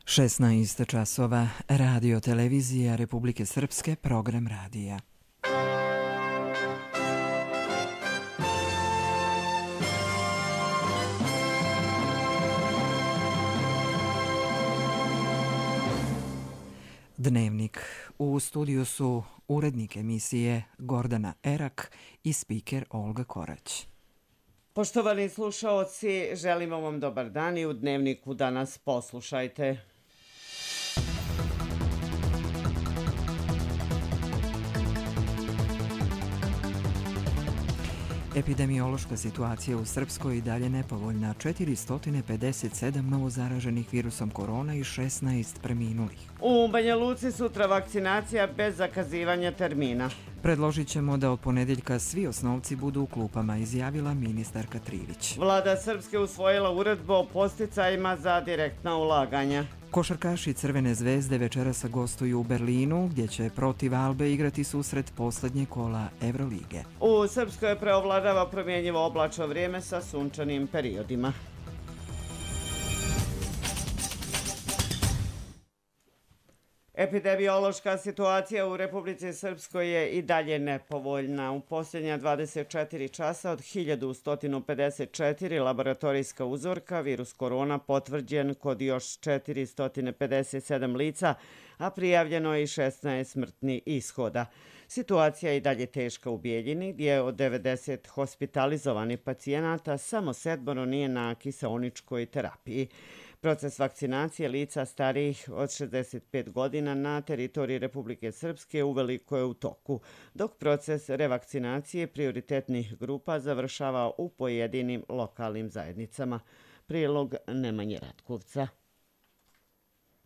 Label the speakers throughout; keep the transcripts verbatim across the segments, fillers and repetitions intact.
Speaker 1: šesnaest časova, radio televizija Republike Srpske, program radija. Dnevnik. U studiju su urednik emisije Gordana Erak i spiker Olga Korać.
Speaker 2: Poštovani slušaoci, želimo vam dobar dan i u Dnevniku danas poslušajte.
Speaker 1: Epidemiološka situacija u Srpskoj i dalje nepovoljna. četiristo pedeset sedam novozaraženih virusom korona i šesnaest preminulih.
Speaker 2: U Banja Luci sutra vakcinacija bez zakazivanja termina.
Speaker 1: Predložit ćemo da od ponedeljka svi osnovci budu u klupama, izjavila ministarka Trivić.
Speaker 2: Vlada Srpske usvojila uredbu o podsticajima za direktna ulaganja.
Speaker 1: Košarkaši Crvene zvezde večeras gostuju u Berlinu, gdje će protiv Albe igrati susret posljednje kola Evrolige.
Speaker 2: U Srpskoj preovladava promjenjivo oblačno vrijeme sa sunčanim periodima. Epidemiološka situacija u Republici Srpskoj je i dalje nepovoljna. U posljednja dvadeset četiri časa od hiljadu sto pedeset četiri laboratorijska uzorka virus korona potvrđen kod još četiristo pedeset sedam lica, a prijavljeno je i šesnaest smrtnih ishoda. Situacija je i dalje teška u Bijeljini, gdje od devedeset hospitalizovanih pacijenata samo sedmoro nije na kiseoničkoj terapiji. Proces vakcinacije lica starijih od šezdeset pet godina na teritoriji Republike Srpske uveliko je u toku, dok proces revakcinacije prioritetnih grupa završava u pojedinim lokalnim zajednicama. Prilog Nemanje Ratkovca.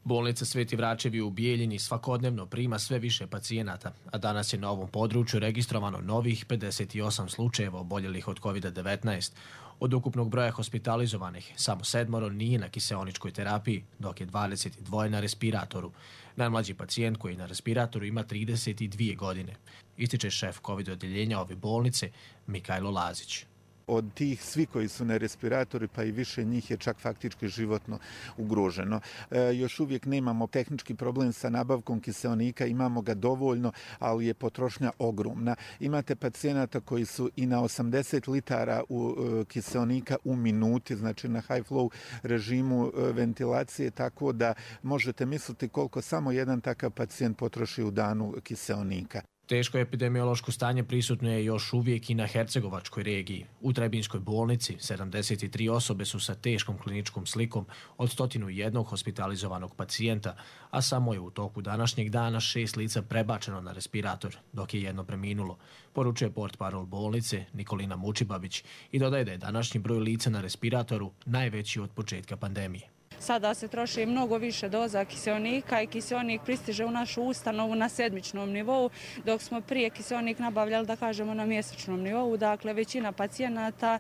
Speaker 3: Bolnica Sveti Vračevi u Bijeljini svakodnevno prima sve više pacijenata, a danas je na ovom području registrovano novih pedeset osam slučajeva oboljelih od kovid devetnaest. Od ukupnog broja hospitalizovanih, samo sedmoro nije na kiseoničkoj terapiji, dok je dvadeset dva na respiratoru. Najmlađi pacijent koji je na respiratoru ima trideset dvije godine. Ističe šef COVID odjeljenja ove bolnice, Mikajlo Lazić.
Speaker 4: Od tih svi koji su na respiratori, pa i više njih je čak faktički životno ugroženo. E, još uvijek nemamo tehnički problem sa nabavkom kiseonika, imamo ga dovoljno, ali je potrošnja ogromna. Imate pacijenata koji su i na osamdeset litara u, e, kiseonika u minuti, znači na high flow režimu e, ventilacije, tako da možete misliti koliko samo jedan takav pacijent potroši u danu kiseonika.
Speaker 3: Teško epidemiološko stanje prisutno je još uvijek i na Hercegovačkoj regiji. U Trebinjskoj bolnici sedamdeset tri osobe su sa teškom kliničkom slikom od sto jedan hospitalizovanog pacijenta, a samo je u toku današnjeg dana šest lica prebačeno na respirator, dok je jedno preminulo, poručuje portparol bolnice Nikolina Mučibabić i dodaje da je današnji broj lica na respiratoru najveći od početka pandemije.
Speaker 5: Sada se troši mnogo više doza kiseonika i kiseonik pristiže u našu ustanovu na sedmičnom nivou, dok smo prije kiseonik nabavljali, da kažemo, na mjesečnom nivou. Dakle, većina pacijenata,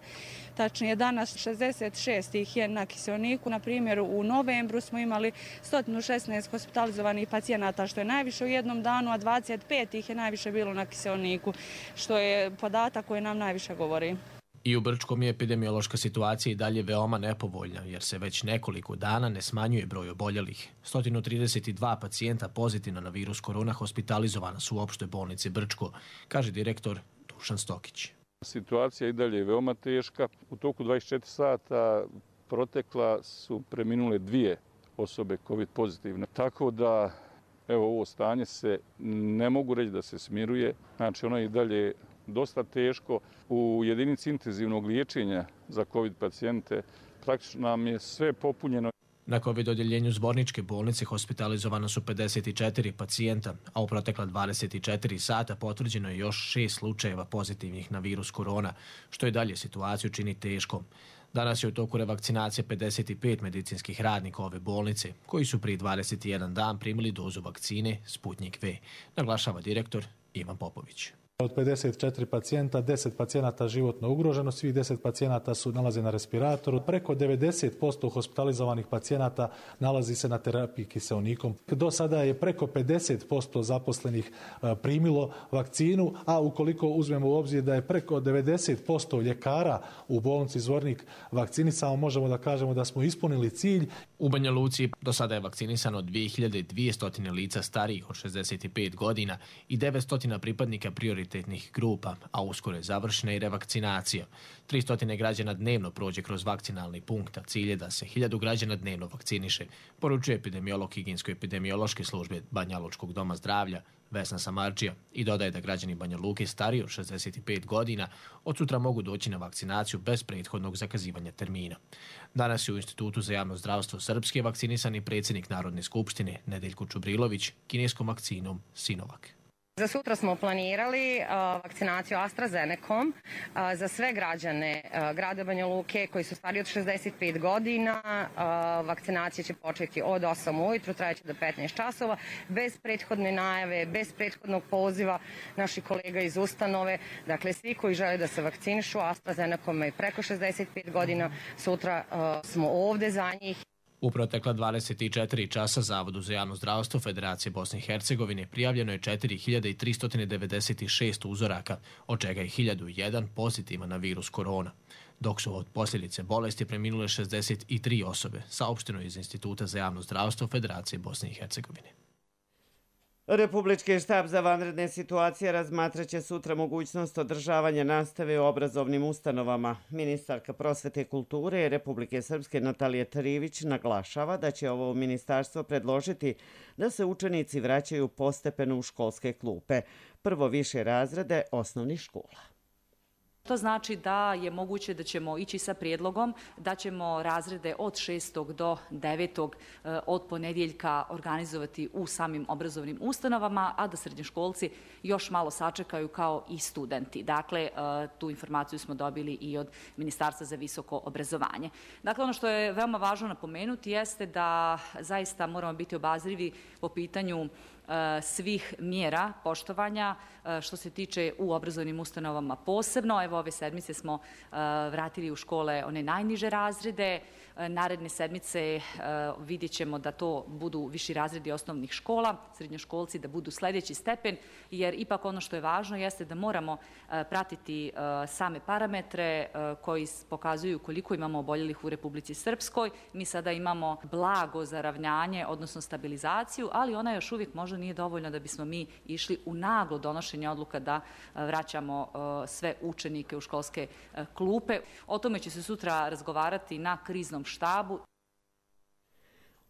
Speaker 5: tačnije danas šezdeset šest ih je na kiseoniku. Na primjer, u novembru smo imali sto šesnaest hospitalizovanih pacijenata, što je najviše u jednom danu, a dvadeset pet ih je najviše bilo na kiseoniku, što je podatak koji nam najviše govori.
Speaker 3: I u Brčkom je epidemiološka situacija i dalje veoma nepovoljna, jer se već nekoliko dana ne smanjuje broj oboljelih. sto trideset dva pacijenta pozitivno na virus korona hospitalizovana su u opštoj bolnici Brčko, kaže direktor Dušan Stokić.
Speaker 6: Situacija i dalje je veoma teška. U toku dvadeset četiri sata protekla su preminule dvije osobe COVID pozitivne. Tako da, evo, ovo stanje se ne mogu reći da se smiruje. Znači, ono je i dalje dosta teško. U jedinici intenzivnog liječenja za COVID pacijente praktično nam je sve popunjeno.
Speaker 3: Na COVID odjeljenju Zborničke bolnice hospitalizovano su pedeset četiri pacijenta, a u protekla dvadeset četiri sata potvrđeno je još šest slučajeva pozitivnih na virus korona, što i dalje situaciju čini teškom. Danas je u toku revakcinacije pedeset pet medicinskih radnika ove bolnice, koji su prije dvadeset jedan dan primili dozu vakcine Sputnik V, naglašava direktor Ivan Popović.
Speaker 7: Od pedeset četiri pacijenta, deset pacijenata životno ugroženo, svih deset pacijenata su nalaze na respiratoru. Preko devedeset posto hospitalizovanih pacijenata nalazi se na terapiji kiseonikom. Do sada je preko pedeset posto zaposlenih primilo vakcinu, a ukoliko uzmemo u obzir da je preko devedeset posto ljekara u bolnici Zvornik vakcinisano, možemo da kažemo da smo ispunili cilj.
Speaker 3: U Banja Luci do sada je vakcinisano dvije hiljade dvjesto lica starijih od šezdeset pet godina i devetsto pripadnika prioritetnih grupa, a uskoro je završena i revakcinacija. tristo građana dnevno prođe kroz vakcinalni punkt, a cilj je da se hiljadu građana dnevno vakciniše, poručuje epidemiolog higijensko-epidemiološke službe Banja Lučkog doma zdravlja Vesna Samardžija i dodaje da građani Banja Luke stariji od šezdeset pet godina od sutra mogu doći na vakcinaciju bez prethodnog zakazivanja termina. Danas je u Institutu za javno zdravstvo Srpske vakcinisani predsjednik Narodne skupštine Nedeljko Čubrilović kineskom vakcinom Sinovac.
Speaker 8: Za sutra smo planirali uh, vakcinaciju AstraZenecom uh, za sve građane uh, grada Banja Luke koji su stariji od šezdeset pet godina. Uh, vakcinacija će početi od osam ujutru, trajeće do petnaest časova, bez prethodne najave, bez prethodnog poziva naših kolega iz ustanove. Dakle, svi koji žele da se vakcinišu AstraZenecom i preko šezdeset pet godina, sutra uh, smo ovde za njih.
Speaker 3: U protekla dvadeset četiri časa Zavodu za javno zdravstvo Federacije Bosne i Hercegovine prijavljeno je četiri hiljade tristo devedeset šest uzoraka, od čega je hiljadu jedan pozitivan na virus korona, dok su od posljedice bolesti preminule šezdeset tri osobe, saopšteno iz Instituta za javno zdravstvo Federacije Bosne i Hercegovine.
Speaker 2: Republički štab za vanredne situacije razmatraće sutra mogućnost održavanja nastave u obrazovnim ustanovama. Ministarka prosvete i kulture Republike Srpske Natalija Trivić naglašava da će ovo ministarstvo predložiti da se učenici vraćaju postepeno u školske klupe, prvo više razrede osnovnih škola.
Speaker 9: To znači da je moguće da ćemo ići sa prijedlogom da ćemo razrede od šestog do devetog od ponedjeljka organizovati u samim obrazovnim ustanovama, a da srednjoškolci još malo sačekaju kao i studenti. Dakle, tu informaciju smo dobili i od Ministarstva za visoko obrazovanje. Dakle, ono što je veoma važno napomenuti jeste da zaista moramo biti obazrivi po pitanju svih mjera poštovanja što se tiče u obrazovnim ustanovama posebno. Evo, ove sedmice smo vratili u škole one najniže razrede. Naredne sedmice vidjet ćemo da to budu viši razredi osnovnih škola, srednjoškolci da budu sljedeći stepen, jer ipak ono što je važno jeste da moramo pratiti same parametre koji pokazuju koliko imamo oboljelih u Republici Srpskoj. Mi sada imamo blago zaravnjanje, odnosno stabilizaciju, ali ona još uvijek možda nije dovoljna da bismo mi išli u naglo donošenje odluka da vraćamo sve učenike u školske klupe. O tome će se sutra razgovarati na kriznom štabu.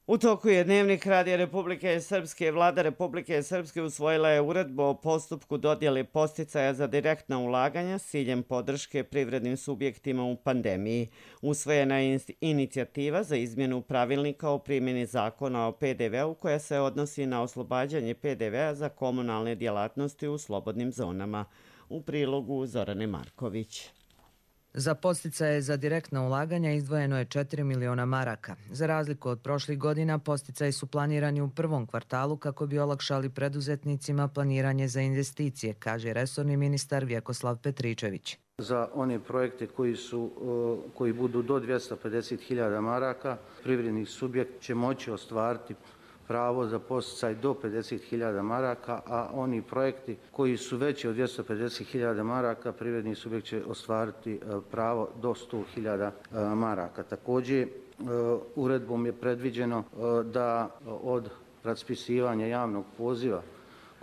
Speaker 2: U toku je Dnevnik Radija Republike Srpske. Vlada Republike Srpske usvojila je uredbu o postupku dodjele podsticaja za direktna ulaganja s ciljem podrške privrednim subjektima u pandemiji. Usvojena je inicijativa za izmjenu pravilnika o primjeni zakona o P D V-u koja se odnosi na oslobađanje P D V-a za komunalne djelatnosti u slobodnim zonama. U prilogu Zorane Marković.
Speaker 1: Za podsticaje za direktna ulaganja izdvojeno je četiri miliona maraka. Za razliku od prošlih godina, podsticaji su planirani u prvom kvartalu kako bi olakšali preduzetnicima planiranje za investicije, kaže resorni ministar Vjekoslav Petričević.
Speaker 10: Za one projekte koji, su, koji budu do dvjesto pedeset hiljada maraka, privredni subjekt će moći ostvariti pravo za podsticaj do pedeset hiljada maraka, a oni projekti koji su veći od dvjesto pedeset hiljada maraka, privredni subjekt će ostvariti pravo do sto hiljada maraka. Također, uredbom je predviđeno da od raspisivanja javnog poziva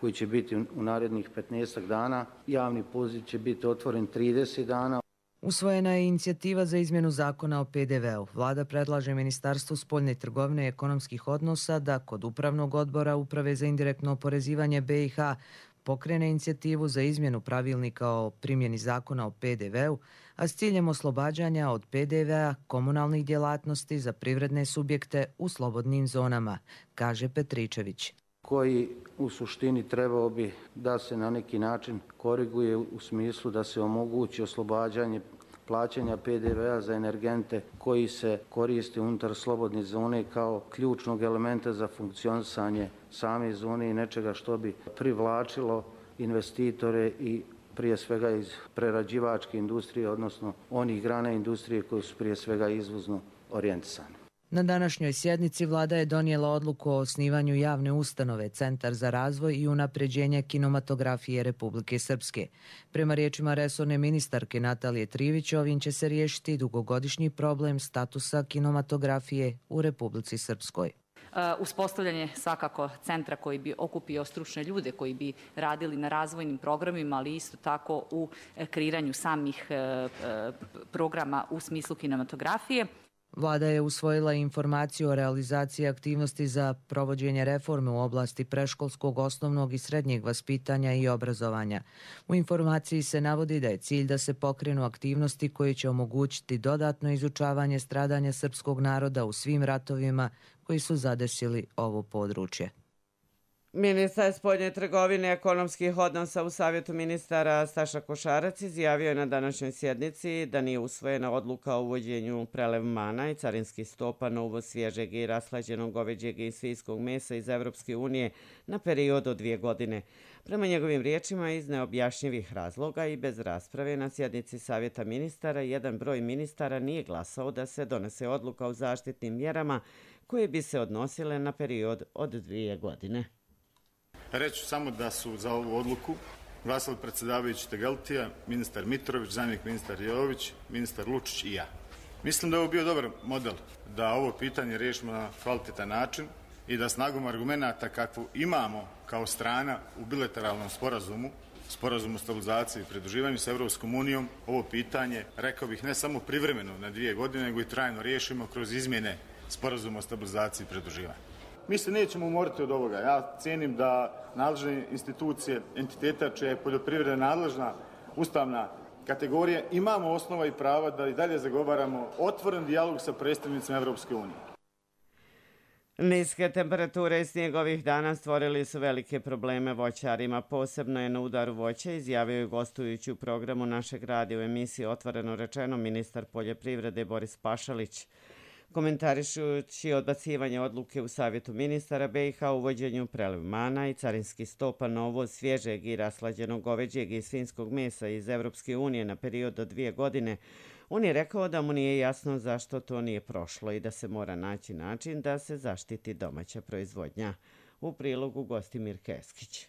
Speaker 10: koji će biti u narednih petnaestak dana, javni poziv će biti otvoren trideset dana.
Speaker 1: Usvojena je inicijativa za izmjenu zakona o P D V-u. Vlada predlaže Ministarstvu spoljne trgovine i ekonomskih odnosa da kod Upravnog odbora Uprave za indirektno oporezivanje B i H pokrene inicijativu za izmjenu pravilnika o primjeni zakona o P D V-u, a s ciljem oslobađanja od P D V-a komunalnih djelatnosti za privredne subjekte u slobodnim zonama, kaže Petričević.
Speaker 10: Koji u suštini trebao bi da se na neki način koriguje u smislu da se omogući oslobađanje plaćanja P D V-a za energente koji se koriste unutar slobodne zone kao ključnog elementa za funkcionisanje same zone i nečega što bi privlačilo investitore i prije svega iz prerađivačke industrije, odnosno onih grana industrije koji su prije svega izvozno orijentisani.
Speaker 1: Na današnjoj sjednici vlada je donijela odluku o osnivanju javne ustanove Centar za razvoj i unapređenje kinematografije Republike Srpske. Prema riječima resorne ministarke Natalije Trivić, ovim će se riješiti dugogodišnji problem statusa kinematografije u Republici Srpskoj.
Speaker 9: Uspostavljanje svakako centra koji bi okupio stručne ljude koji bi radili na razvojnim programima, ali isto tako u kreiranju samih programa u smislu kinematografije.
Speaker 1: Vlada je usvojila informaciju o realizaciji aktivnosti za provođenje reforme u oblasti preškolskog, osnovnog i srednjeg vaspitanja i obrazovanja. U informaciji se navodi da je cilj da se pokrenu aktivnosti koje će omogućiti dodatno izučavanje stradanja srpskog naroda u svim ratovima koji su zadesili ovo područje.
Speaker 2: Ministar spoljne trgovine i ekonomskih odnosa u Savjetu ministara Staša Košarac izjavio je na današnjoj sjednici da nije usvojena odluka o uvođenju prelevmana i carinskih stopa na uvoz svježeg i rashlađenog goveđeg i svinjskog mesa iz Evropske unije na period od dvije godine. Prema njegovim riječima, iz neobjašnjivih razloga i bez rasprave na sjednici Savjeta ministara, jedan broj ministara nije glasao da se donese odluka o zaštitnim mjerama koje bi se odnosile na period od dvije godine.
Speaker 11: Reću samo da su za ovu odluku glasali predsjedavajući Tegeltija, ministar Mitrović, zamjenik ministar Jović, ministar Lučić i ja. Mislim da je ovo bio dobar model da ovo pitanje riješimo na kvalitetan način i da snagom argumenata kakvu imamo kao strana u bilateralnom sporazumu, sporazumu o stabilizaciji i pridruživanju sa Evropskom unijom, ovo pitanje, rekao bih, ne samo privremeno na dvije godine, nego i trajno riješimo kroz izmjene sporazuma o stabilizaciji i pridruživanju. Mi se nećemo umoriti od ovoga. Ja cijenim da nadležne institucije, entiteta čija je poljoprivreda nadležna ustavna kategorija, imamo osnova i prava da i dalje zagovaramo otvoren dijalog sa predstavnicima Evropske unije.
Speaker 2: Niske temperature i snijeg ovih dana stvorili su velike probleme voćarima. Posebno je na udaru voća, izjavio je gostujući u programu našeg radija u emisiji Otvoreno rečeno ministar poljoprivrede Boris Pašalić. Komentarišući odbacivanje odluke u Savjetu ministara B i H o uvođenju prelevmana i carinskih stopa na uvoz svježeg i rashlađenog goveđeg i svinjskog mesa iz Evropske unije na period od dvije godine, on je rekao da mu nije jasno zašto to nije prošlo i da se mora naći način da se zaštiti domaća proizvodnja. U prilogu Gostimir Keskić.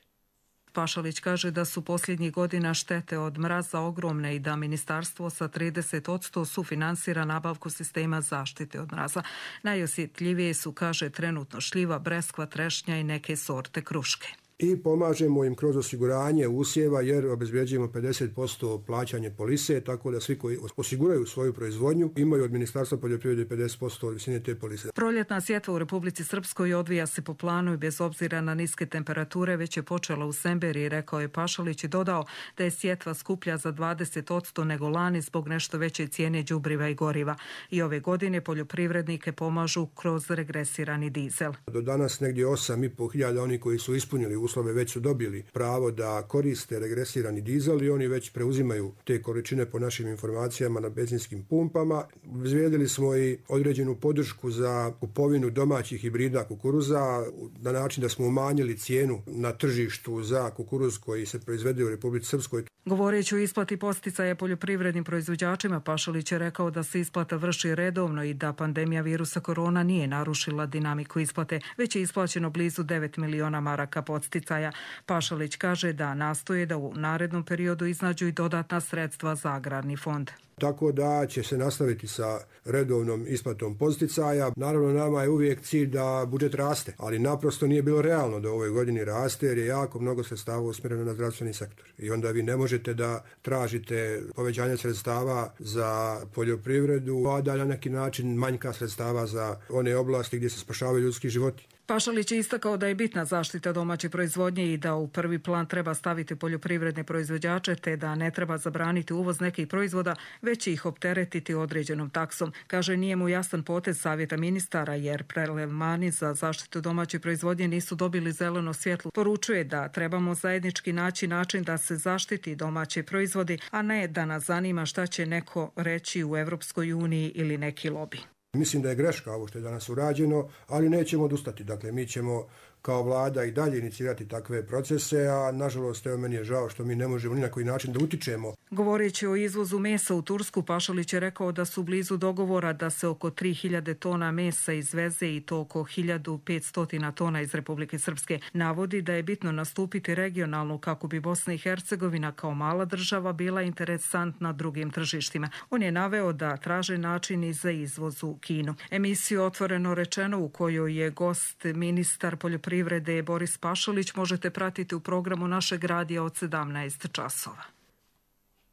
Speaker 12: Pašalić kaže da su posljednjih godina štete od mraza ogromne i da ministarstvo sa trideset posto sufinansira nabavku sistema zaštite od mraza. Najosjetljivije su, kaže, trenutno šljiva, breskva, trešnja i neke sorte kruške.
Speaker 13: I pomažemo im kroz osiguranje usjeva jer obezbeđujemo pedeset posto plaćanje polise, tako da svi koji osiguraju svoju proizvodnju imaju od Ministarstva poljoprivrede pedeset posto od visine te polise.
Speaker 12: Proljetna sjetva u Republici Srpskoj odvija se po planu i bez obzira na niske temperature već je počela u Semberi, rekao je Pašalić i dodao da je sjetva skuplja za dvadeset posto nego lani zbog nešto veće cijene đubriva i goriva. I ove godine poljoprivrednike pomažu kroz regresirani dizel.
Speaker 13: Do danas negdje osam i pol hiljada oni koji su ispunili uslove već su dobili pravo da koriste regresirani dizel i oni već preuzimaju te količine po našim informacijama na benzinskim pumpama. Izvedili smo i određenu podršku za kupovinu domaćih hibrida kukuruza na način da smo umanjili cijenu na tržištu za kukuruz koji se proizvede u Republici Srpskoj.
Speaker 12: Govoreći o isplati posticaja poljoprivrednim proizvođačima, Pašalić je rekao da se isplata vrši redovno i da pandemija virusa korona nije narušila dinamiku isplate, već je isplaćeno blizu devet miliona maraka podsticaja. Pašalić kaže da nastoje da u narednom periodu iznađu i dodatna sredstva za agrarni fond.
Speaker 13: Tako da će se nastaviti sa redovnom isplatom podsticaja. Naravno, nama je uvijek cilj da budžet raste, ali naprosto nije bilo realno da u ovoj godini raste jer je jako mnogo sredstava usmjereno na zdravstveni sektor. I onda vi ne možete da tražite povećanje sredstava za poljoprivredu, a da na neki način manjka sredstava za one oblasti gdje se spašavaju ljudski životi.
Speaker 12: Pašalić je istakao da je bitna zaštita domaće proizvodnje i da u prvi plan treba staviti poljoprivredne proizvođače te da ne treba zabraniti uvoz nekih proizvoda, već ih opteretiti određenom taksom. Kaže, nije mu jasan potez Savjeta ministara jer prelevmani za zaštitu domaće proizvodnje nisu dobili zeleno svjetlo. Poručuje da trebamo zajednički naći način da se zaštiti domaće proizvodi, a ne da nas zanima šta će neko reći u Evropskoj uniji ili neki lobi.
Speaker 13: Mislim da je greška ovo što je danas urađeno, ali nećemo odustati. Dakle, mi ćemo kao vlada i dalje inicirati takve procese, a nažalost evo meni je žao što mi ne možemo ni na koji način da utičemo.
Speaker 12: Govoreći o izvozu mesa u Tursku, Pašalić je rekao da su blizu dogovora da se oko tri hiljade tona mesa izveze i to oko hiljadu petsto tona iz Republike Srpske. Navodi da je bitno nastupiti regionalno kako bi Bosna i Hercegovina kao mala država bila interesantna drugim tržištima. On je naveo da traže način i za izvoz u Kinu. Emisiju Otvoreno rečeno, u kojoj je gost ministar poljoprivrede Boris Pašalić, možete pratiti u programu našeg radija od sedamnaest časova.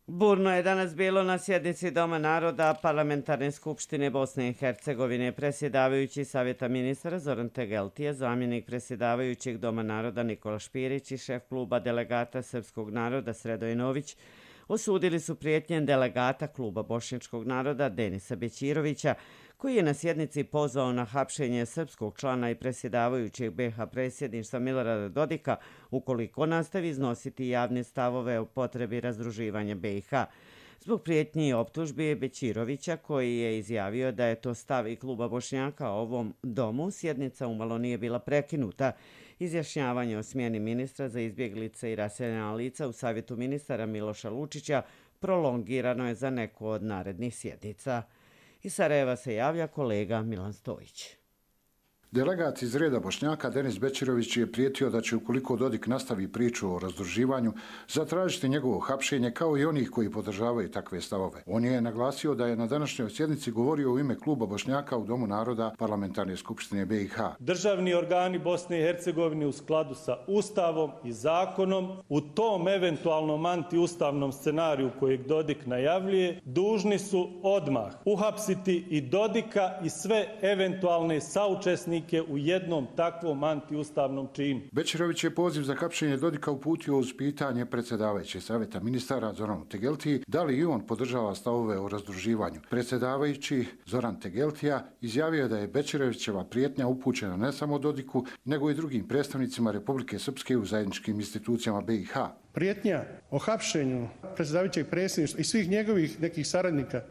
Speaker 2: Burno je danas bilo na sjednici Doma naroda Parlamentarne skupštine Bosne i Hercegovine. Predsjedavajući Savjeta ministara Zoran Tegeltije, zamjenik predsjedavajućeg Doma naroda Nikola Špirić i šef kluba delegata Srpskog naroda Sredoje Nović osudili su prijetnje delegata kluba Bošnjačkog naroda Denisa Bećirovića, koji je na sjednici pozvao na hapšenje srpskog člana i predsjedavajućeg be ha predsjedništva Milorada Dodika ukoliko nastavi iznositi javne stavove o potrebi razdruživanja be i ha. Zbog prijetnji i optužbi Bećirovića, koji je izjavio da je to stav i kluba Bošnjaka ovom domu, sjednica umalo nije bila prekinuta. Izjašnjavanje o smjeni ministra za izbjeglice i raseljena lica u Savjetu ministara Miloša Lučića prolongirano je za neku od narednih sjednica. Iz Sarajeva se javlja kolega Milan Stojić.
Speaker 14: Delegat iz reda Bošnjaka Denis Bećirović je prijetio da će, ukoliko Dodik nastavi priču o razdruživanju, zatražiti njegovo hapšenje kao i onih koji podržavaju takve stavove. On je naglasio da je na današnjoj sjednici govorio u ime kluba Bošnjaka u Domu naroda Parlamentarne skupštine be i ha.
Speaker 15: Državni organi Bosne i Hercegovine u skladu sa Ustavom i zakonom u tom eventualnom antiustavnom scenariju kojeg Dodik najavljuje, dužni su odmah uhapsiti i Dodika i sve eventualne saučesnike u jednom takvom antiustavnom činu.
Speaker 14: Bećirović je poziv za hapšenje Dodika uputio uz pitanje predsjedavajućeg Savjeta ministara Zoranu Tegeltiji da li i on podržava stavove o razdruživanju. Predsjedavajući Zoran Tegeltija izjavio je da je Bećirovićeva prijetnja upućena ne samo Dodiku, nego i drugim predstavnicima Republike Srpske u zajedničkim institucijama be i ha.
Speaker 16: Prijetnja o hapšenju predsjedavajućeg predsjedništva i svih njegovih nekih saradnika,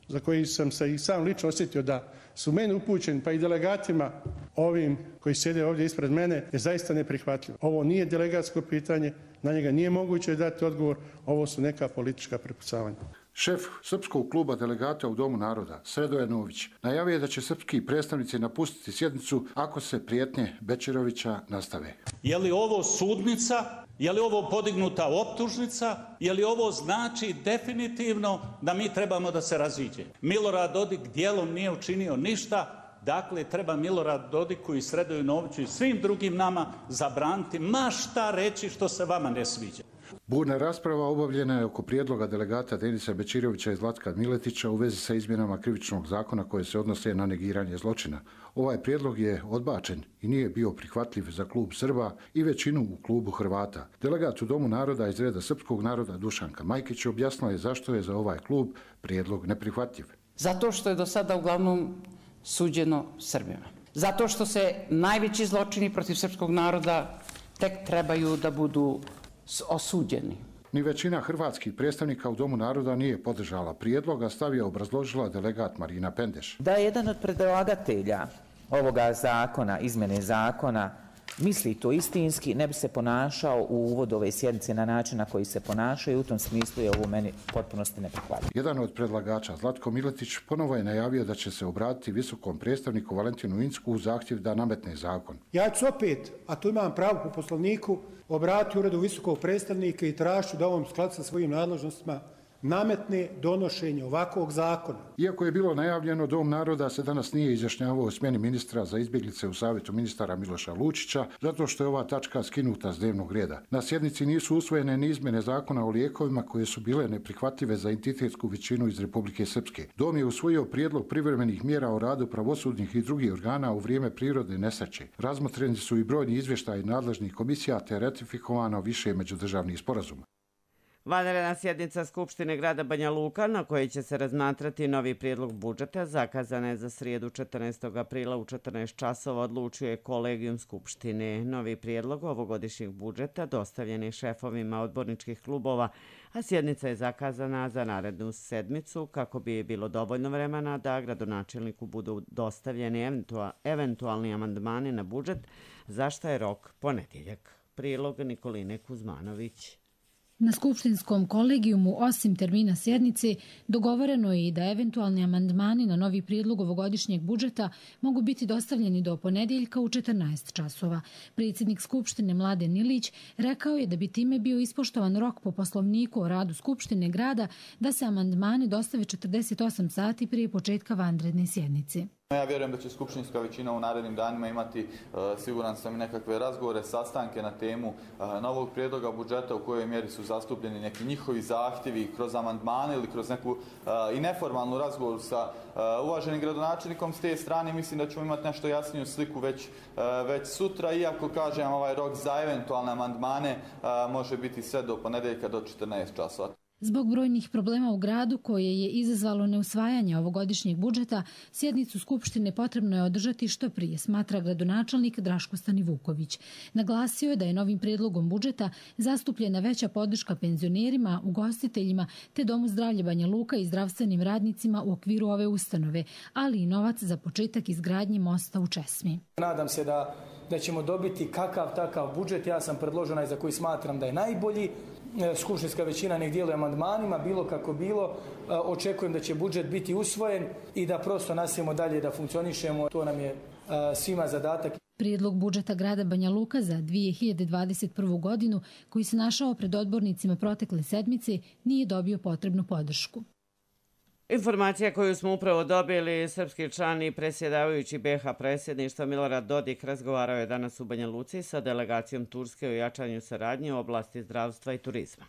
Speaker 16: za koji sam se i sam lično osjetio da su meni upućeni, pa i delegatima ovim koji sjede ovdje ispred mene, je zaista neprihvatljivo. Ovo nije delegatsko pitanje, na njega nije moguće dati odgovor, ovo su neka politička prepucavanja.
Speaker 14: Šef Srpskog kluba delegata u Domu naroda, Sredoje Nović, najavio je da će srpski predstavnici napustiti sjednicu ako se prijetnje Bećirovića nastave.
Speaker 17: Je li ovo sudnica? Je li ovo podignuta optužnica? Je li ovo znači definitivno da mi trebamo da se raziđemo? Milorad Dodik dijelom nije učinio ništa, dakle treba Milorad Dodiku i Sredoju Noviću i svim drugim nama zabraniti ma šta reći što se vama ne sviđa.
Speaker 14: Burna rasprava obavljena je oko prijedloga delegata Denisa Bećirovića i Zlatka Miletića u vezi sa izmjenama krivičnog zakona koje se odnose na negiranje zločina. Ovaj prijedlog je odbačen i nije bio prihvatljiv za klub Srba i većinu u klubu Hrvata. Delegat u Domu naroda iz reda Srpskog naroda Dušanka Majkić objasnila je zašto je za ovaj klub prijedlog neprihvatljiv.
Speaker 18: Zato što je do sada uglavnom suđeno Srbima. Zato što se najveći zločini protiv srpskog naroda tek trebaju da budu osuđeni.
Speaker 14: Ni većina hrvatskih predstavnika u Domu naroda nije podržala prijedlog, a stav je obrazložila delegat Marina Pendeš.
Speaker 19: Da je jedan od predlagatelja ovoga zakona, izmene zakona, misli to istinski, ne bi se ponašao u uvodu ove sjednice na način na koji se ponašaju, u tom smislu je ovo meni potpunosti neprihvatljivo.
Speaker 14: Jedan od predlagača, Zlatko Miletić, ponovo je najavio da će se obratiti visokom predstavniku Valentinu Incku u zahtjev da nametne zakon.
Speaker 16: Ja ću opet, a tu imam pravo po poslovniku, obratiti uredu visokog predstavnika i tražiti da on u skladu sa svojim nadležnostima nametne donošenje ovakvog zakona.
Speaker 14: Iako je bilo najavljeno, Dom naroda se danas nije izjašnjavao o smjeni ministra za izbjeglice u Savjetu ministara Miloša Lučića, zato što je ova tačka skinuta s dnevnog reda. Na sjednici nisu usvojene ni izmjene zakona o lijekovima koje su bile neprihvatljive za entitetsku većinu iz Republike Srpske. Dom je usvojio prijedlog privremenih mjera o radu pravosudnih i drugih organa u vrijeme prirodne nesreće. Razmotreni su i brojni izvještaji nadležnih komisija te ratifikovano više međudržavnih sporazuma.
Speaker 2: Vanredna sjednica Skupštine grada Banja Luka, na kojoj će se razmatrati novi prijedlog budžeta, zakazana je za srijedu četrnaestog aprila u četrnaest časova, odlučio je kolegijum Skupštine. Novi prijedlog ovogodišnjeg budžeta dostavljen je šefovima odborničkih klubova, a sjednica je zakazana za narednu sedmicu kako bi bilo dovoljno vremena da gradonačelniku budu dostavljeni eventualni amandmani na budžet, za što je rok ponedjeljak. Prilog Nikoline Kuzmanović.
Speaker 20: Na skupštinskom kolegijumu, osim termina sjednice, dogovoreno je i da eventualni amandmani na novi prijedlog ovogodišnjeg budžeta mogu biti dostavljeni do ponedjeljka u četrnaest časova. Predsjednik Skupštine Mladen Ilić rekao je da bi time bio ispoštovan rok po poslovniku o radu Skupštine grada da se amandmani dostave četrdeset osam sati prije početka vanredne sjednice.
Speaker 21: Ja vjerujem da će skupštinska većina u narednim danima imati, siguran sam, i nekakve razgovore, sastanke na temu novog prijedloga budžeta u kojoj mjeri su zastupljeni neki njihovi zahtjevi kroz amandmane ili kroz neku i neformalnu razgovor sa uvaženim gradonačelnikom s te strane. Mislim da ćemo imati nešto jasniju sliku već, već sutra, iako kažem ovaj rok za eventualne amandmane može biti sve do ponedjeljka do četrnaest časova.
Speaker 20: Zbog brojnih problema u gradu koje je izazvalo neusvajanje ovogodišnjeg budžeta, sjednicu Skupštine potrebno je održati što prije, smatra gradonačelnik Draško Stanivuković. Naglasio je da je novim prijedlogom budžeta zastupljena veća podrška penzionerima, ugostiteljima te Domu zdravlja Banja Luka i zdravstvenim radnicima u okviru ove ustanove, ali i novac za početak izgradnje mosta u Česmi.
Speaker 22: Nadam se da, da ćemo dobiti kakav takav budžet. Ja sam predložen za koji smatram da je najbolji. Skupštinska većina nek djeluje amandmanima, bilo kako bilo. Očekujem da će budžet biti usvojen i da prosto nastavimo dalje da funkcionišemo. To nam je svima zadatak.
Speaker 20: Prijedlog budžeta grada Banja Luka za dvije hiljade dvadeset prvu godinu, koji se našao pred odbornicima protekle sedmice, nije dobio potrebnu podršku.
Speaker 2: Informacija koju smo upravo dobili, srpski član i predsjedavajući B H predsjedništva Milorad Dodik razgovarao je danas u Banja Luci sa delegacijom Turske o jačanju saradnje u oblasti zdravstva i turizma.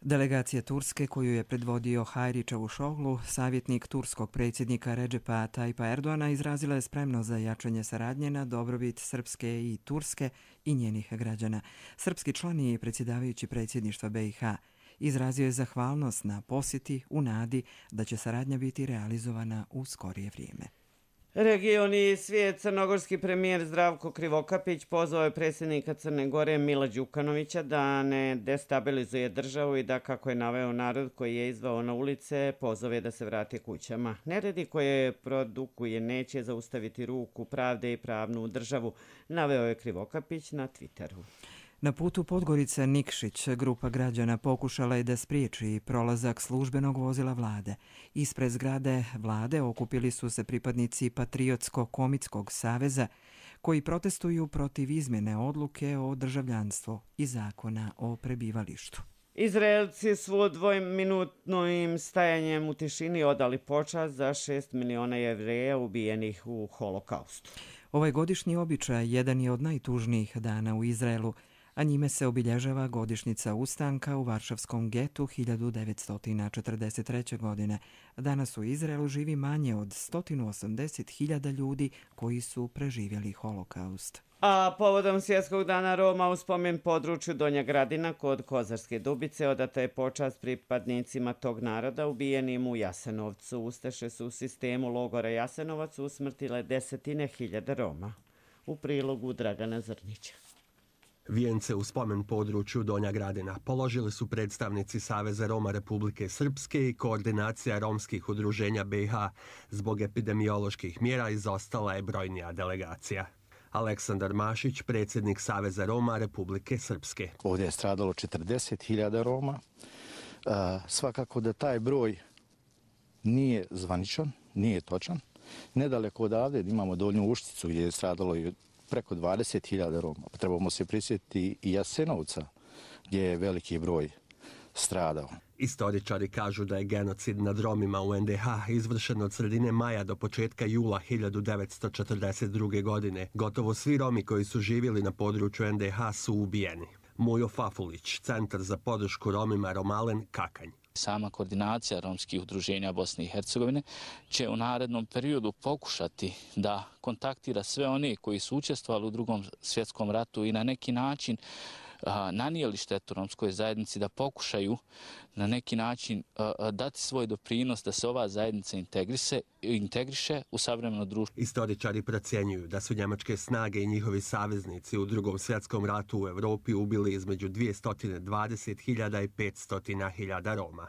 Speaker 23: Delegacija Turske, koju je predvodio Hayri Čavuşoglu, savjetnik turskog predsjednika Redžepa Tajpa Erdoana, izrazila je spremnost za jačanje saradnje na dobrobit Srpske i Turske i njenih građana. Srpski član i predsjedavajući predsjedništva B i H izrazio je zahvalnost na posjeti u nadi da će saradnja biti realizovana u skorije vrijeme.
Speaker 2: Region i svijet. Crnogorski premijer Zdravko Krivokapić pozvao je predsjednika Crne Gore Mila Đukanovića da ne destabilizuje državu i da, kako je naveo, narod koji je izvao na ulice pozove da se vrate kućama. Neredi koje produkuje neće zaustaviti ruku pravde i pravnu državu, naveo je Krivokapić na Twitteru.
Speaker 23: Na putu Podgorica-Nikšić grupa građana pokušala je da spriječi prolazak službenog vozila vlade. Ispred zgrade vlade okupili su se pripadnici Patriotsko-komitskog saveza koji protestuju protiv izmjene odluke o državljanstvu i zakona o prebivalištu.
Speaker 2: Izraelci su dvominutnim stajanjem u tišini odali počast za šest miliona Jevreja ubijenih u holokaustu.
Speaker 23: Ovaj godišnji običaj jedan je od najtužnijih dana u Izraelu, a njime se obilježava godišnjica ustanka u Varšavskom getu hiljadu devetsto četrdeset treće. godine. Danas u Izraelu živi manje od sto osamdeset hiljada ljudi koji su preživjeli holokaust.
Speaker 2: A povodom Svjetskog dana Roma u spomen području Donja Gradina kod Kozarske Dubice odata je počast pripadnicima tog naroda ubijenim u Jasenovcu. Ustaše su u sistemu logora Jasenovac usmrtile desetine hiljada Roma. U prilogu Dragana Zrnića.
Speaker 24: Vijence u spomen području Donja Gradina položili su predstavnici Saveza Roma Republike Srpske i koordinacija romskih udruženja B i H. Zbog epidemioloških mjera izostala je brojnija delegacija. Aleksandar Mašić, predsjednik Saveza Roma Republike Srpske.
Speaker 25: Ovdje je stradalo četrdeset hiljada Roma. Svakako da taj broj nije zvaničan, nije točan. Nedaleko odavde imamo Donju Ušticu gdje je stradalo i preko dvadeset hiljada Roma. Trebamo se prisjetiti i Jasenovca gdje je veliki broj stradao.
Speaker 24: Istoričari kažu da je genocid nad Romima u N D H izvršen od sredine maja do početka jula hiljadu devetsto četrdeset druge. godine. Gotovo svi Romi koji su živjeli na području N D H su ubijeni. Mujo Fafulić, Centar za podršku Romima Romalen, Kakanj.
Speaker 26: Sama koordinacija romskih udruženja Bosne i Hercegovine će u narednom periodu pokušati da kontaktira sve one koji su učestvovali u Drugom svjetskom ratu i na neki način nanijeli štetu romskoj zajednici, da pokušaju na neki način dati svoj doprinos da se ova zajednica integrise, integriše u savremeno društvo.
Speaker 24: Istoričari procjenjuju da su njemačke snage i njihovi saveznici u Drugom svjetskom ratu u Evropi ubili između dvjesto dvadeset hiljada i petsto hiljada Roma.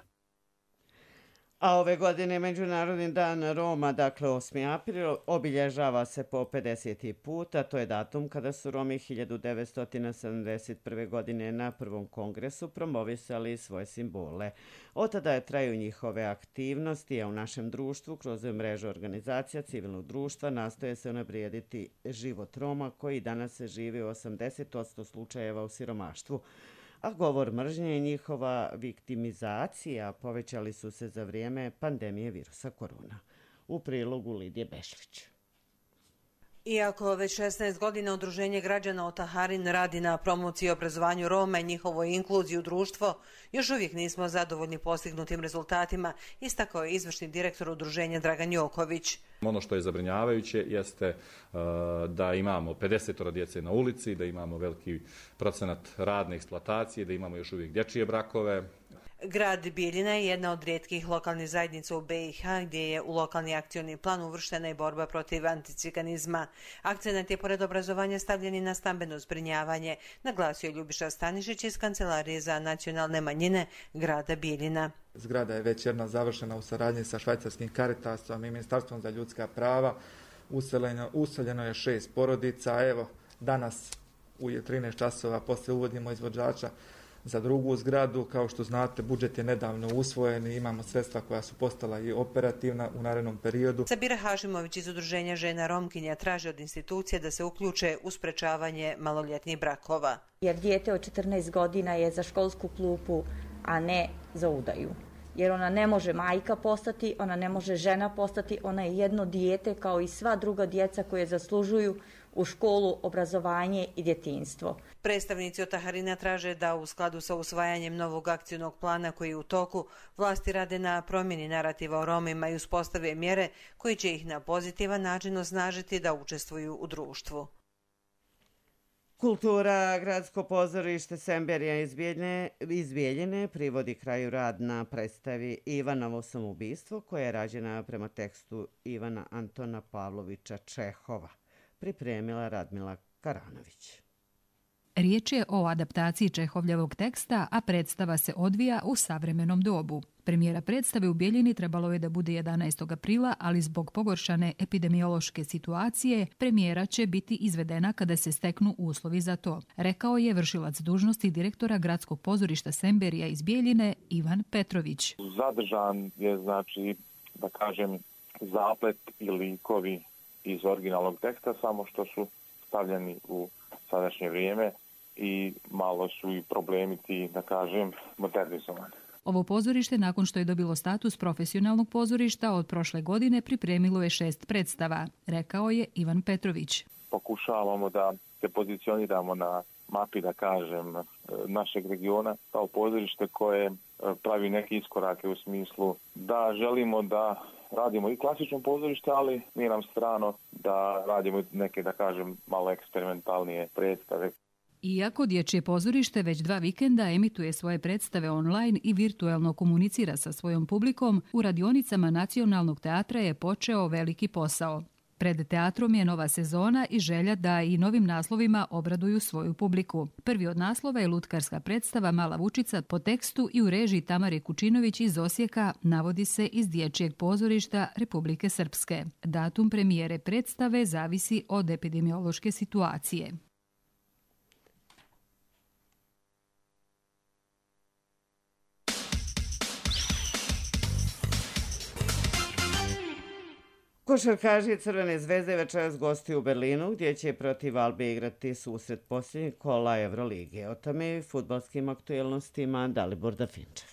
Speaker 2: A ove godine Međunarodni dan Roma, dakle osmi april, obilježava se po pedeseti put, a to je datum kada su Romi hiljadu devetsto sedamdeset prve. godine na prvom kongresu promovisali svoje simbole. Od tada je traju njihove aktivnosti, a u našem društvu kroz mrežu organizacija civilnog društva nastoje se unaprijediti život Roma koji danas se živi u osamdeset posto slučajeva u siromaštvu. A govor mržnje i njihova viktimizacija povećali su se za vrijeme pandemije virusa korona. U prilogu Lidije Bešlić.
Speaker 3: Iako već šesnaest godina Udruženje građana Otaharin radi na promociji i obrazovanju Roma i njihovoj inkluziji u društvo, još uvijek nismo zadovoljni postignutim rezultatima, istakao je izvršni direktor Udruženja Dragan Joković.
Speaker 4: Ono što je zabrinjavajuće jeste uh, da imamo pedeset djece na ulici, da imamo veliki procenat radne eksploatacije, da imamo još uvijek dječje brakove.
Speaker 3: Grad Bijeljina je jedna od rijetkih lokalnih zajednica u B i H gdje je u lokalni akcioni plan uvrštena i borba protiv anticiganizma. Akcenat je pored obrazovanja stavljen i na stambeno zbrinjavanje, naglasio je Ljubiša Stanišić iz Kancelarije za nacionalne manjine grada Bijeljina.
Speaker 5: Zgrada je već jedna završena u saradnji sa švajcarskim Caritasom i Ministarstvom za ljudska prava. Useljeno, useljeno je šest porodica. Evo, danas u trinaest časova poslije uvodimo izvođača za drugu zgradu. Kao što znate, budžet je nedavno usvojen i imamo sredstva koja su postala i operativna u narednom periodu.
Speaker 3: Sabira Hašimović iz Udruženja žena Romkinja traži od institucije da se uključe u sprečavanje maloljetnih brakova.
Speaker 6: Jer dijete od četrnaest godina je za školsku klupu, a ne za udaju. Jer ona ne može majka postati, ona ne može žena postati, ona je jedno dijete kao i sva druga djeca koje zaslužuju u školu, obrazovanje i djetinjstvo.
Speaker 3: Predstavnici Otaharina traže da u skladu sa usvajanjem novog akcijnog plana koji je u toku, vlasti rade na promjeni narativa o Romima i uspostave mjere koji će ih na pozitivan način osnažiti da učestvuju u društvu.
Speaker 2: Kultura, gradsko pozorište Semberija iz Bijeljine privodi kraju rad na predstavi Ivanovo samoubistvo koja je rađena prema tekstu Ivana Antona Pavlovića Čehova. Pripremila Radmila Karanović.
Speaker 7: Riječ je o adaptaciji Čehovljevog teksta, a predstava se odvija u savremenom dobu. Premijera predstave u Bijeljini trebalo je da bude jedanaestog aprila, ali zbog pogoršane epidemiološke situacije premijera će biti izvedena kada se steknu uslovi za to, rekao je vršilac dužnosti direktora gradskog pozorišta Semberija iz Bijeljine Ivan Petrović.
Speaker 8: Zadržan je, znači, da kažem, zaplet i likovi iz originalnog teksta, samo što su stavljeni u sadašnje vrijeme i malo su i problemi ti, da kažem, modernizovani.
Speaker 7: Ovo pozorište, nakon što je dobilo status profesionalnog pozorišta, od prošle godine pripremilo je šest predstava, rekao je Ivan Petrović.
Speaker 8: Pokušavamo da se pozicioniramo na mapi, da kažem, našeg regiona kao pozorište koje pravi neke iskorake u smislu da želimo da radimo i klasično pozorište, ali nije nam strano da radimo neke, da kažem, malo eksperimentalnije predstave.
Speaker 7: Iako dječje pozorište već dva vikenda emituje svoje predstave online i virtuelno komunicira sa svojom publikom, u radionicama Nacionalnog teatra je počeo veliki posao. Pred teatrom je nova sezona i želja da i novim naslovima obraduju svoju publiku. Prvi od naslova je lutkarska predstava Mala Vučica po tekstu i u režiji Tamare Kučinović iz Osijeka, navodi se iz Dječjeg pozorišta Republike Srpske. Datum premijere predstave zavisi od epidemiološke situacije.
Speaker 2: Košarkaši Crvene zvezde večeras gostuju u Berlinu, gdje će protiv Albe igrati susret posljednjeg kola Evrolige. O tome i fudbalskim aktuelnostima Dalibor Dafinčev.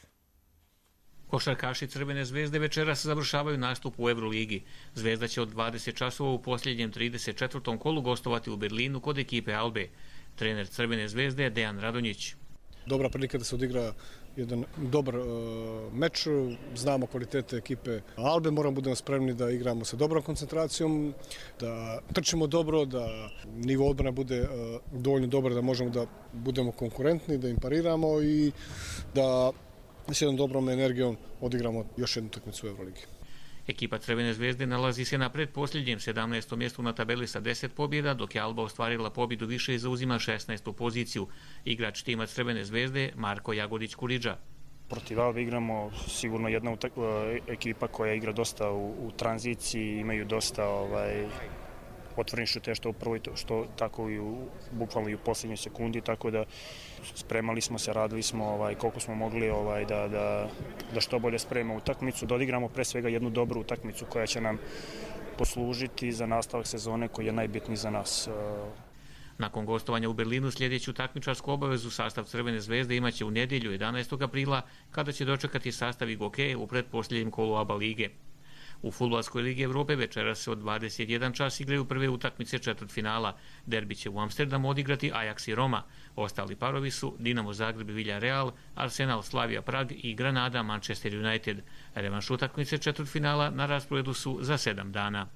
Speaker 27: Košarkaši Crvene zvezde večeras završavaju nastup u Evroligi. Zvezda će od dvadeset časova u posljednjem trideset četvrtom kolu gostovati u Berlinu kod ekipe Albe. Trener Crvene zvezde je Dejan Radonjić.
Speaker 28: Dobra prilika da se odigra
Speaker 16: jedan dobar uh, meč, znamo kvalitete ekipe Albe, moramo budemo spremni da igramo sa dobrom koncentracijom, da trčimo dobro, da nivo odbrane bude uh, dovoljno dobar da možemo da budemo konkurentni, da im pariramo i da s jednom dobrom energijom odigramo još jednu utakmicu u Euroligi.
Speaker 27: Ekipa Crvene zvezde nalazi se na predposljednjem sedamnaestom mjestu na tabeli sa deset pobjeda, dok je Alba ostvarila pobjedu više i zauzima šesnaestu poziciju. Igrač tima Crvene zvezde Marko Jagodić-Kuriđa.
Speaker 1: Protiv Albe igramo sigurno jedna ekipa koja igra dosta u, u tranziciji, imaju dosta ovaj, otvorenih šuteva što u prvoj, što tako i u, bukvalno i u posljednjoj sekundi, tako da spremali smo se, radili smo ovaj, koliko smo mogli ovaj, da, da, da što bolje spremamo utakmicu, da odigramo pre svega jednu dobru utakmicu koja će nam poslužiti za nastavak sezone koji je najbitniji za nas.
Speaker 27: Nakon gostovanja u Berlinu sljedeću takmičarsku obavezu sastav Crvene zvezde imaće u nedjelju jedanaestog aprila kada će dočekati sastav Igoke u predposljednjem kolu A B A lige. U Fudbalskoj ligi Evrope večeras se od dvadeset jedan čas igraju prve utakmice četvrtfinala. Derbi će u Amsterdamu odigrati Ajax i Roma. Ostali parovi su Dinamo Zagreb i Villarreal, Arsenal Slavia Prag i Granada Manchester United. Revanš utakmice četvrtfinala na rasporedu su za sedam dana.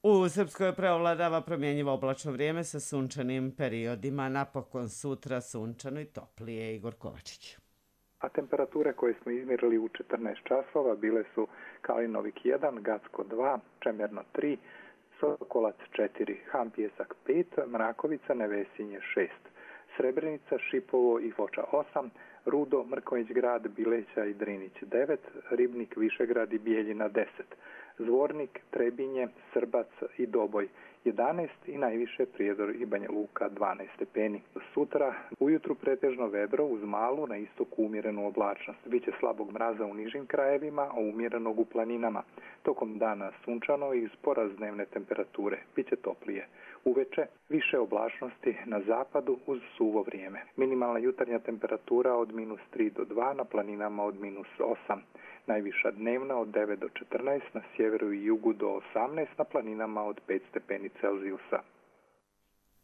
Speaker 2: U Srpskoj preovladava promjenjivo oblačno vrijeme sa sunčanim periodima. Napokon sutra sunčano i toplije. Igor Kovačić.
Speaker 9: A temperature koje smo izmjerili u četrnaest časova bile su Kalinovik jedan, Gacko dva, Čemerno tri, Sokolac četiri, Ham Pjesak pet, Mrakovica, Nevesinje šest, Srebrenica, Šipovo i Foča osam, Rudo, Mrković grad, Bileća i Drinić devet, Ribnik, Višegrad i Bijeljina deset, Zvornik, Trebinje, Srbac i Doboj jedanaest i najviše Prijedor i Banja Luka dvanaest stepeni. Sutra ujutru pretežno vedro uz malu, na istoku umjerenu oblačnost. Biće slabog mraza u nižim krajevima, a umjerenog u planinama. Tokom dana sunčano i uz porast dnevne temperature. Biće toplije. Uveče više oblačnosti na zapadu uz suvo vrijeme. Minimalna jutarnja temperatura od minus tri do dva, na planinama od minus osam. Najviša dnevna od devet do četrnaest, na sjeveru i jugu do osamnaest, na planinama od pet stepeni Celzijusa.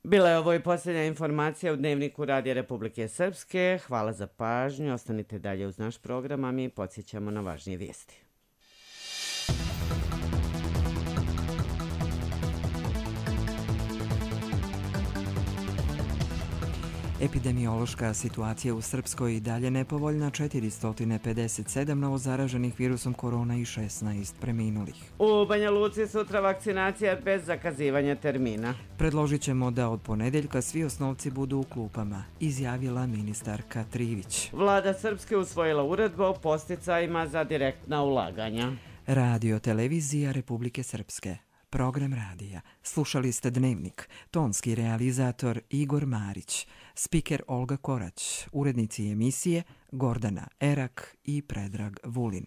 Speaker 2: Bila je ovo i posljednja informacija u Dnevniku Radija Republike Srpske. Hvala za pažnju. Ostanite dalje uz naš program, a mi podsjećamo na važnije vijesti.
Speaker 23: Epidemiološka situacija u Srpskoj i dalje nepovoljna, četiristo pedeset sedam novozaraženih virusom korona i šesnaest preminulih.
Speaker 2: U Banja Luci sutra vakcinacija bez zakazivanja termina.
Speaker 23: Predložit ćemo da od ponedeljka svi osnovci budu u klupama, izjavila ministarka Trivić.
Speaker 2: Vlada Srpske usvojila uredbu o podsticajima za direktna ulaganja.
Speaker 23: Radio televizija Republike Srpske. Program radija. Slušali ste Dnevnik. Tonski realizator Igor Marić. Spiker Olga Korać. Urednici emisije Gordana Erak i Predrag Vulin.